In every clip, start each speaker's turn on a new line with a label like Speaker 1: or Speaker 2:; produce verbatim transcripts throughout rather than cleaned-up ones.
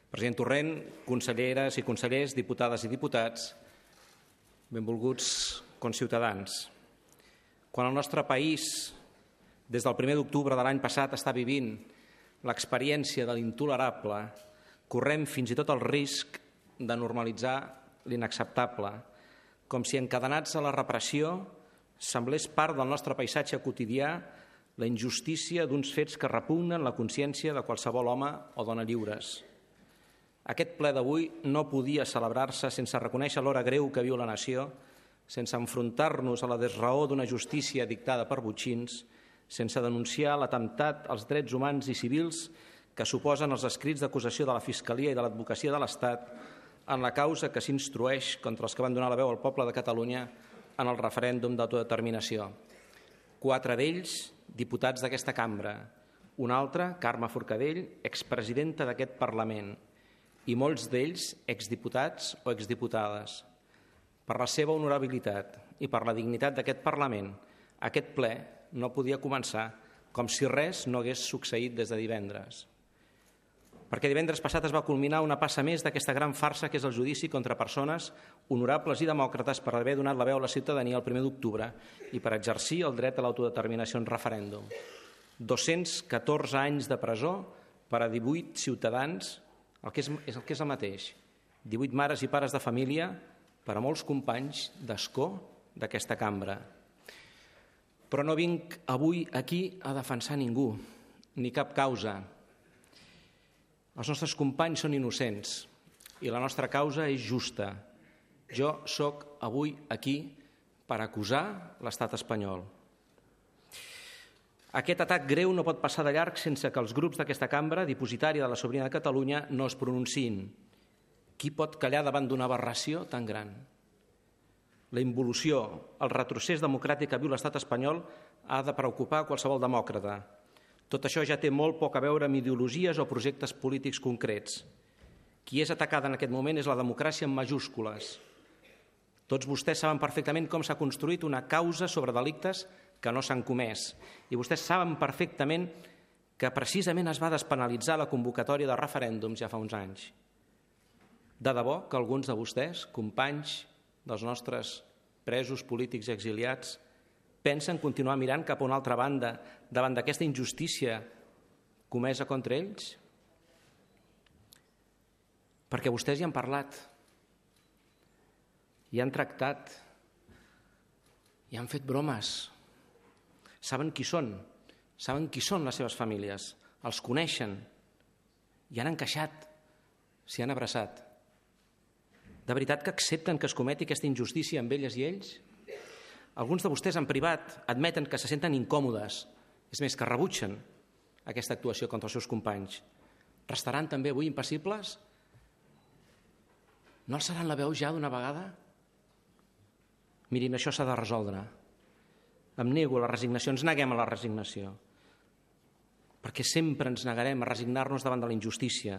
Speaker 1: President Torrent, conselleres i consellers, diputades i diputats, benvolguts conciutadans. Quan el nostre país, des del primer d'octubre de l'any passat, està vivint l'experiència de l'intolerable, correm fins i tot el risc de normalitzar l'inacceptable, com si encadenats a la repressió semblés part del nostre paisatge quotidià la injustícia d'uns fets que repugnen la consciència de qualsevol home o dona lliures. Aquest ple d'avui no podia celebrar-se sense reconèixer l'hora greu que viu la nació, sense enfrontar-nos a la desraó d'una justícia dictada per botxins, sense denunciar l'atemptat als drets humans i civils que suposen els escrits d'acusació de la Fiscalia i de l'Advocacia de l'Estat en la causa que s'instrueix contra els que van donar la veu al poble de Catalunya en el referèndum d'autodeterminació. Quatre d'ells, diputats d'aquesta cambra, un altre, Carme Forcadell, expresidenta d'aquest Parlament, i molts d'ells exdiputats o exdiputades. Per la seva honorabilitat i per la dignitat d'aquest Parlament, aquest ple no podia començar com si res no hagués succeït des de divendres. Perquè divendres passat es va culminar una passa més d'aquesta gran farsa que és el judici contra persones honorables i demòcrates per haver donat la veu a la ciutadania el primer d'octubre i per exercir el dret a l'autodeterminació en referèndum. dos-cents catorze anys de presó per a divuit ciutadans, el que és, és el que és el mateix, divuit mares i pares de família per a molts companys d'escó d'aquesta cambra. Però no vinc avui aquí a defensar ningú, ni cap causa. Els nostres companys són innocents i la nostra causa és justa. Jo sóc avui aquí per acusar l'estat espanyol. Aquest atac greu no pot passar de llarg sense que els grups d'aquesta cambra, dipositària de la sobirania de Catalunya, no es pronunciïn. Qui pot callar davant d'una aberració tan gran? La involució, el retrocés democràtic que viu l'estat espanyol ha de preocupar qualsevol demòcrata. Tot això ja té molt poc a veure amb ideologies o projectes polítics concrets. Qui és atacada en aquest moment és la democràcia en majúscules. Tots vostès saben perfectament com s'ha construït una causa sobre delictes que no s'han comès. I vostès saben perfectament que precisament es va despenalitzar la convocatòria de referèndums ja fa uns anys. De debò que alguns de vostès, companys dels nostres presos polítics i exiliats, pensen continuar mirant cap a una altra banda davant d'aquesta injustícia comesa contra ells? Perquè vostès hi han parlat, hi han tractat, hi han fet bromes. Saben qui són, saben qui són les seves famílies, els coneixen, hi han encaixat, s'hi han abraçat. De veritat que accepten que es cometi aquesta injustícia amb elles i ells? Alguns de vostès en privat admeten que se senten incòmodes, és més, que rebutgen aquesta actuació contra els seus companys. Restaran també avui impassibles? No alçaran la veu ja d'una vegada? Mirin, això s'ha de resoldre. Em nego a la resignació, ens neguem a la resignació, perquè sempre ens negarem a resignar-nos davant de la injustícia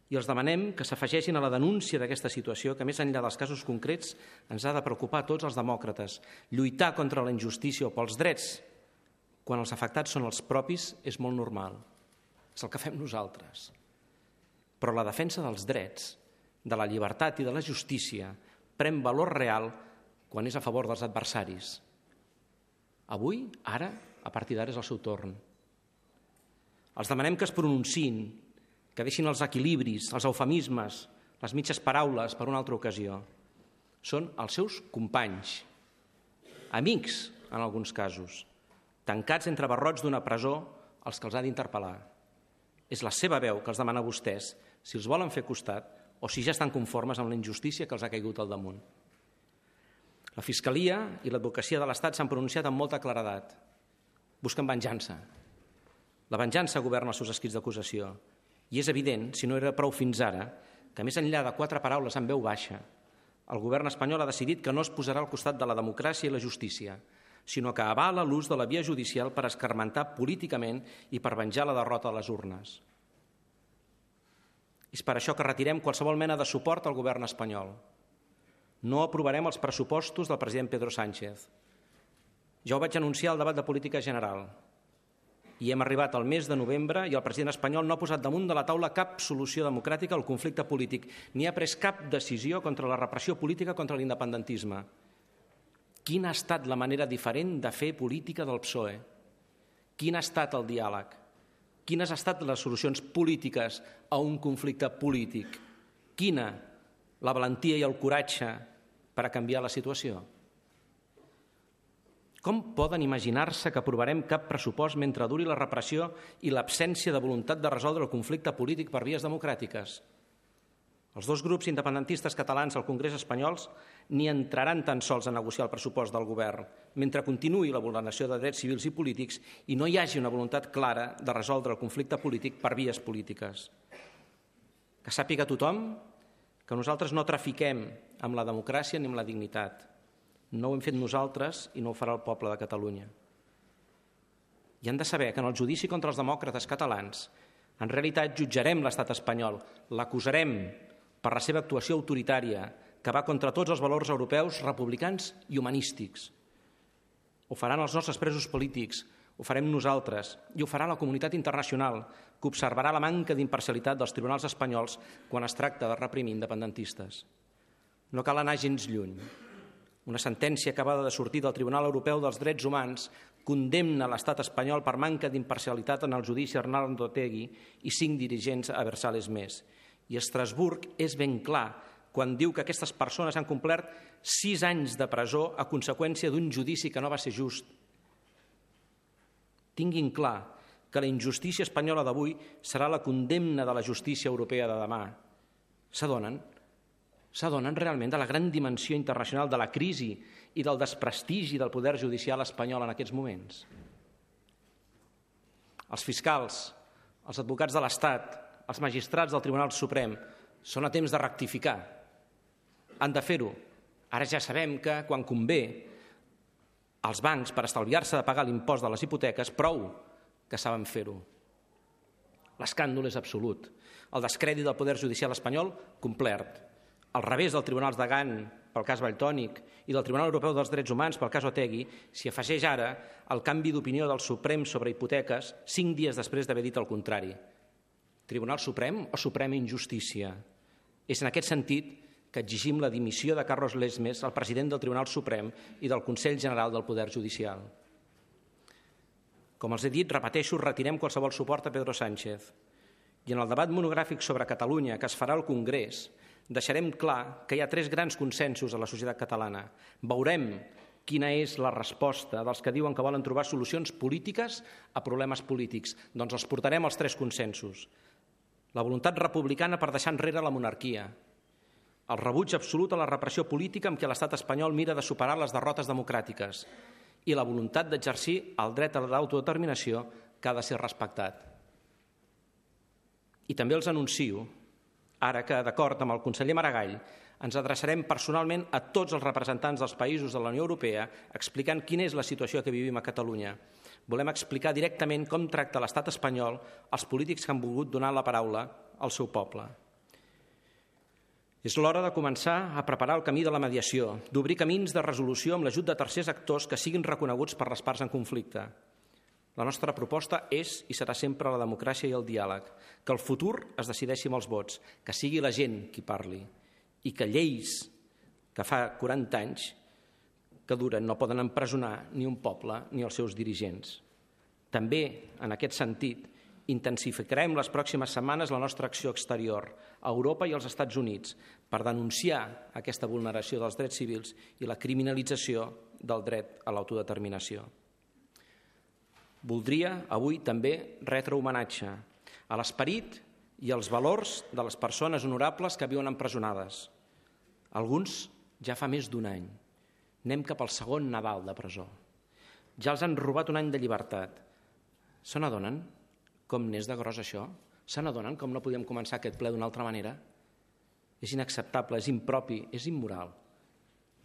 Speaker 1: i els demanem que s'afegeixin a la denúncia d'aquesta situació que, més enllà dels casos concrets, ens ha de preocupar a tots els demòcrates. Lluitar contra la injustícia o pels drets, quan els afectats són els propis, és molt normal. És el que fem nosaltres. Però la defensa dels drets, de la llibertat i de la justícia pren valor real quan és a favor dels adversaris. Avui, ara, a partir d'ara és el seu torn. Els demanem que es pronunciïn, que deixin els equilibris, els eufemismes, les mitges paraules per una altra ocasió. Són els seus companys, amics en alguns casos, tancats entre barrots d'una presó els que els ha d'interpel·lar. És la seva veu que els demana a vostès si els volen fer costat o si ja estan conformes amb la injustícia que els ha caigut al damunt. La Fiscalia i l'Advocacia de l'Estat s'han pronunciat amb molta claredat. Busquen venjança. La venjança governa els seus escrits d'acusació. I és evident, si no era prou fins ara, que més enllà de quatre paraules en veu baixa, el govern espanyol ha decidit que no es posarà al costat de la democràcia i la justícia, sinó que avala l'ús de la via judicial per escarmentar políticament i per venjar la derrota a les urnes. És per això que retirem qualsevol mena de suport al govern espanyol. No aprovarem els pressupostos del president Pedro Sánchez. Ja ho vaig anunciar al debat de política general. I hem arribat al mes de novembre i el president espanyol no ha posat damunt de la taula cap solució democràtica al conflicte polític, ni ha pres cap decisió contra la repressió política contra l'independentisme. Quina ha estat la manera diferent de fer política del P S O E? Quin ha estat el diàleg? Quines han estat les solucions polítiques a un conflicte polític? Quina la valentia i el coratge per a canviar la situació? Com poden imaginar-se que aprovarem cap pressupost mentre duri la repressió i l'absència de voluntat de resoldre el conflicte polític per vies democràtiques? Els dos grups independentistes catalans al Congrés espanyols ni entraran tan sols a negociar el pressupost del govern mentre continuï la vulneració de drets civils i polítics i no hi hagi una voluntat clara de resoldre el conflicte polític per vies polítiques. Que sàpiga tothom que nosaltres no trafiquem amb la democràcia ni amb la dignitat. No ho hem fet nosaltres i no ho farà el poble de Catalunya. I han de saber que en el judici contra els demòcrates catalans en realitat jutjarem l'estat espanyol, l'acusarem per la seva actuació autoritària que va contra tots els valors europeus republicans i humanístics. Ho faran els nostres presos polítics, ho farem nosaltres i ho farà la comunitat internacional que observarà la manca d'imparcialitat dels tribunals espanyols quan es tracta de reprimir independentistes. No cal anar gens lluny. Una sentència acabada de sortir del Tribunal Europeu dels Drets Humans condemna l'estat espanyol per manca d'imparcialitat en el judici a Arnaldo Otegi i cinc dirigents a Versales més. I Estrasburg és ben clar quan diu que aquestes persones han complert sis anys de presó a conseqüència d'un judici que no va ser just. Tinguin clar que la injustícia espanyola d'avui serà la condemna de la justícia europea de demà. S'adonen? S'adonen realment de la gran dimensió internacional de la crisi i del desprestigi del poder judicial espanyol en aquests moments? Els fiscals, els advocats de l'Estat, els magistrats del Tribunal Suprem són a temps de rectificar. Han de fer-ho. Ara ja sabem que, quan convé, els bancs, per estalviar-se de pagar l'impost de les hipoteques, prou que saben fer-ho. L'escàndol és absolut. El descrèdit del poder judicial espanyol, complert. Al revés del Tribunal de Gant pel cas Valtònyc i del Tribunal Europeu dels Drets Humans pel cas Otegi, s'hi afegeix ara el canvi d'opinió del Suprem sobre hipoteques cinc dies després d'haver dit el contrari. Tribunal Suprem o Suprema Injustícia? És en aquest sentit que exigim la dimissió de Carlos Lesmes, el president del Tribunal Suprem i del Consell General del Poder Judicial. Com els he dit, repeteixo, retirem qualsevol suport a Pedro Sánchez. I en el debat monogràfic sobre Catalunya que es farà al Congrés, deixarem clar que hi ha tres grans consensos a la societat catalana. Veurem quina és la resposta dels que diuen que volen trobar solucions polítiques a problemes polítics. Doncs els portarem als tres consensos. La voluntat republicana per deixar enrere la monarquia, el rebuig absolut a la repressió política amb què l'estat espanyol mira de superar les derrotes democràtiques i la voluntat d'exercir el dret a l'autodeterminació que ha de ser respectat. I també els anuncio ara que, d'acord amb el conseller Maragall, ens adreçarem personalment a tots els representants dels països de la Unió Europea explicant quina és la situació que vivim a Catalunya. Volem explicar directament com tracta l'estat espanyol els polítics que han volgut donar la paraula al seu poble. És l'hora de començar a preparar el camí de la mediació, d'obrir camins de resolució amb l'ajut de tercers actors que siguin reconeguts per les parts en conflicte. La nostra proposta és i serà sempre la democràcia i el diàleg, que el futur es decideixi amb els vots, que sigui la gent qui parli i que lleis que fa quaranta anys que duren no poden empresonar ni un poble ni els seus dirigents. També, en aquest sentit, intensificarem les pròximes setmanes la nostra acció exterior a Europa i als Estats Units per denunciar aquesta vulneració dels drets civils i la criminalització del dret a l'autodeterminació. Voldria avui també retre homenatge a l'esperit i als valors de les persones honorables que viuen empresonades. Alguns ja fa més d'un any. Anem cap al segon Nadal de presó. Ja els han robat un any de llibertat. Se n'adonen com n'és de gros això? Se n'adonen com no podíem començar aquest ple d'una altra manera? És inacceptable, és impropi, és immoral.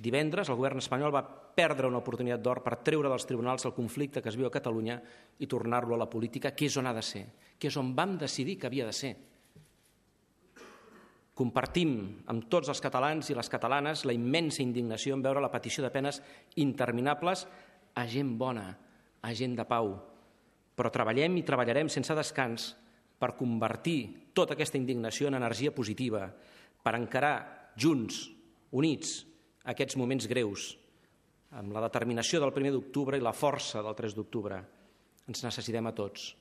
Speaker 1: Divendres el govern espanyol va perdre una oportunitat d'or per treure dels tribunals el conflicte que es viu a Catalunya i tornar-lo a la política, que és on ha de ser, que és on vam decidir que havia de ser. Compartim amb tots els catalans i les catalanes la immensa indignació en veure la petició de penes interminables a gent bona, a gent de pau. però treballem i treballarem sense descans per convertir tota aquesta indignació en energia positiva, per encarar junts, units, aquests moments greus, amb la determinació del primer d'octubre i la força del tres d'octubre. Ens necessitem a tots.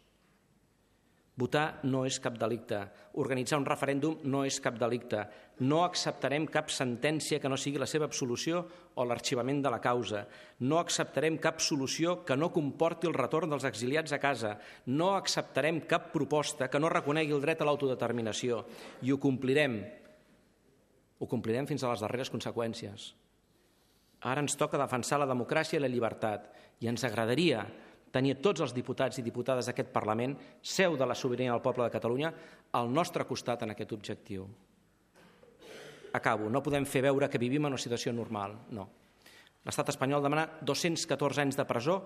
Speaker 1: Votar no és cap delicte. Organitzar un referèndum no és cap delicte. No acceptarem cap sentència que no sigui la seva absolució o l'arxivament de la causa. No acceptarem cap solució que no comporti el retorn dels exiliats a casa. No acceptarem cap proposta que no reconegui el dret a l'autodeterminació. I ho complirem. Ho complirem fins a les darreres conseqüències. Ara ens toca defensar la democràcia i la llibertat i ens agradaria tenir tots els diputats i diputades d'aquest Parlament, seu de la sobirania del poble de Catalunya, al nostre costat en aquest objectiu. Acabo. No podem fer veure que vivim en una situació normal. No. L'estat espanyol demana dos-cents catorze anys de presó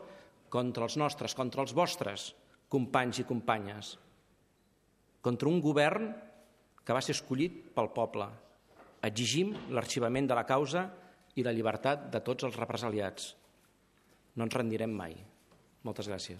Speaker 1: contra els nostres, contra els vostres companys i companyes, contra un govern que va ser escollit pel poble. Exigim l'arxivament de la causa i la llibertat de tots els represaliats. No ens rendirem mai. Moltes gràcies.